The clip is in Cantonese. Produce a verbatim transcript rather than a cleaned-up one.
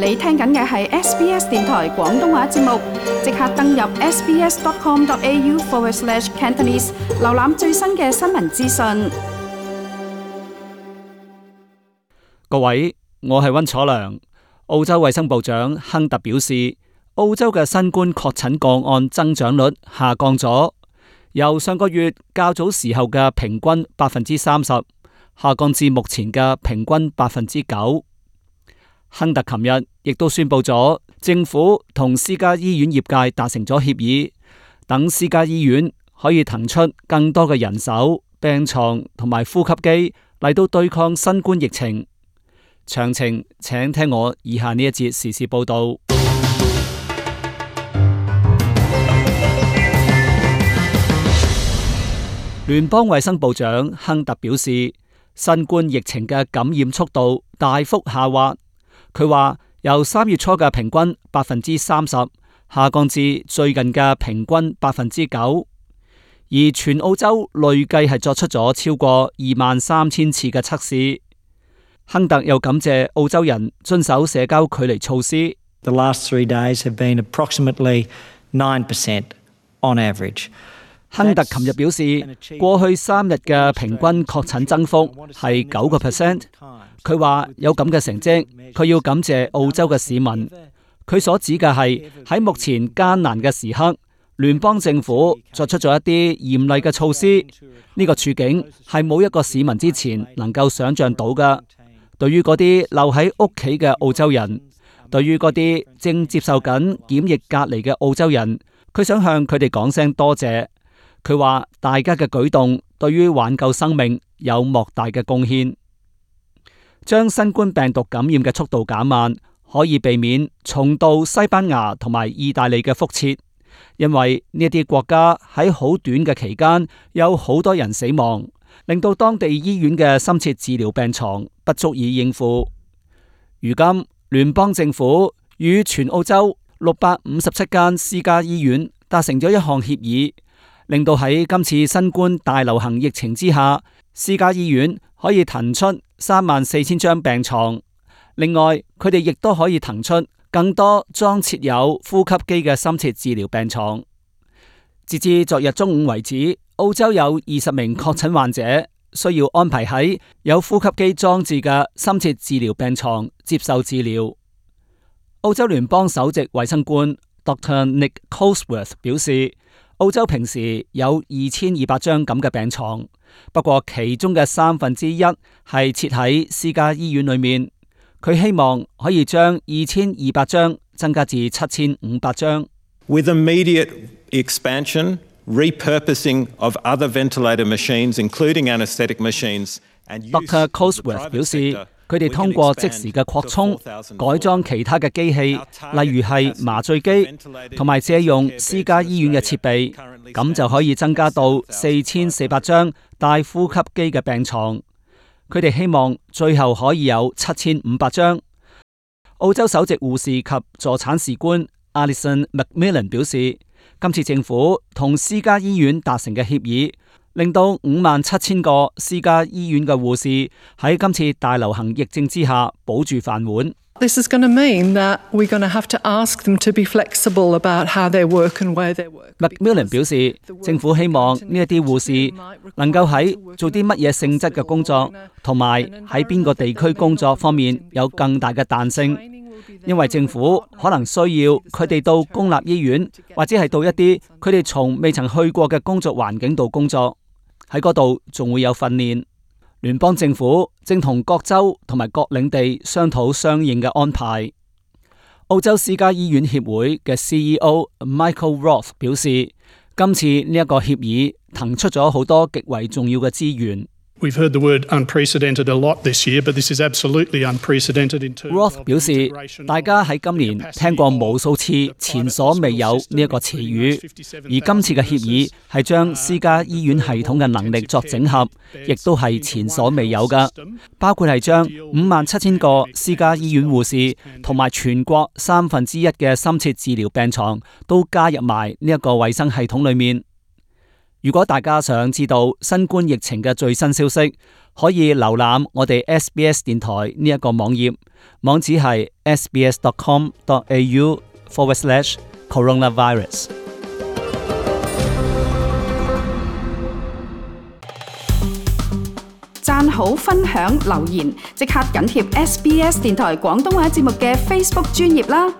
你聽緊嘅係 S B S 電台廣東話節目，即刻登入 sbs.com.au forward slash Cantonese， 瀏覽最新嘅新聞資訊。各位，我係溫楚良。澳洲衛生部長亨特表示，澳洲嘅新冠確診個案增長率下降咗，由上個月較早時候嘅平均百分之三十，下降至目前嘅平均百分之九。亨特琴日亦都宣布咗，政府同私家醫院業界達成咗協議，等私家醫院可以騰出更多嘅人手、病床同埋呼吸機嚟到對抗新冠疫情。詳情請聽我以下呢一節時事報道。聯邦衛生部長亨特表示，新冠疫情嘅感染速度大幅下滑。佢話由三月初嘅平均百分之三十下降至最近嘅平均百分之九，而全澳洲累計係作出咗超過二萬三千次嘅測試。亨特又感謝澳洲人遵守社交距離措施。The last three days have been approximately nine percent on average。亨特琴日表示，過去三日嘅平均確診增幅係九個 percent。佢話有咁嘅成績，佢要感謝澳洲嘅市民。佢所指嘅係喺目前艱難嘅時刻，聯邦政府作出咗一啲嚴厲嘅措施。呢個處境係冇一個市民之前能夠想象到嘅。對於嗰啲留喺屋企嘅澳洲人，對於嗰啲正接受緊檢疫隔離嘅澳洲人，佢想向佢哋講聲多謝。佢話大家嘅舉動對於挽救生命有莫大嘅貢獻，將新冠病毒感染嘅速度減慢，可以避免重蹈西班牙同埋意大利嘅覆轍，因為呢啲國家喺好短嘅期間有好多人死亡，令到當地醫院嘅深切治療病床不足以應付。如今聯邦政府與全澳洲六百五十七間私家醫院達成咗一項協議，令到喺今次新冠大流行疫情之下，私家醫院可以騰出三萬四千張病床。另外，佢哋亦都可以騰出更多裝設有呼吸機嘅深切治療病床。截至昨日中午為止，澳洲有二十名確診患者需要安排喺有呼吸機裝置嘅深切治療病床接受治療。澳洲聯邦首席衛生官 Doctor Nick Cosworth 表示，澳洲平時有二千二百張咁嘅病床，不過其中嘅三分之一係設喺私家醫院裏面。佢希望可以將二千二百張增加至七千五百張。With immediate expansion, repurposing of other ventilator machines, including anaesthetic machines, and Doctor Cosworth 表示，佢哋通過即時嘅擴充、改裝其他嘅機器，例如係麻醉機，同埋借用私家醫院嘅設備，咁就可以增加到四千四百張帶呼吸機嘅病床。佢哋希望最後可以有七千五百張。澳洲首席護士及助產士官 Alison Macmillan 表示，今次政府同私家醫院達成嘅協議，令到五萬七千個私家醫院嘅護士喺今次大流行疫症之下保住飯碗。This is going to mean that we're going to have to ask them to be flexible about how they work and where they work. Macmillan 表示，政府希望呢一啲護士能夠喺做啲乜嘢性質嘅工作，同埋喺邊個地區工作方面有更大嘅彈性，因為政府可能需要佢哋到公立醫院，或者係到一啲佢哋從未曾去過嘅工作環境度工作，喺嗰度仲會有訓練。聯邦政府正同各州同埋各領地商討相應嘅安排。澳洲私家醫院協會嘅 C E O Michael Roth 表示，今次呢一個協議騰出咗好多極為重要嘅資源。We've heard the word unprecedented a lot this year, but this is absolutely unprecedented in terms of Roth 表示，大家喺今年聽過無數次前所未有呢一個詞語，而今次嘅協議係將私家醫院系統嘅能力作整合，亦都係前所未有嘅，包括係將五萬七千個私家醫院護士同埋全國三分之一嘅深切治療病床都加入埋呢一個衛生系統裏面。如果大家想知道新冠疫情嘅最新消息，可以瀏覽我哋 S B S 電台呢一個網頁，網址係 sbs.com.au forward slash coronavirus。讚好、分享、留言，即刻緊貼 S B S 電台廣東話節目嘅 Facebook 專頁啦！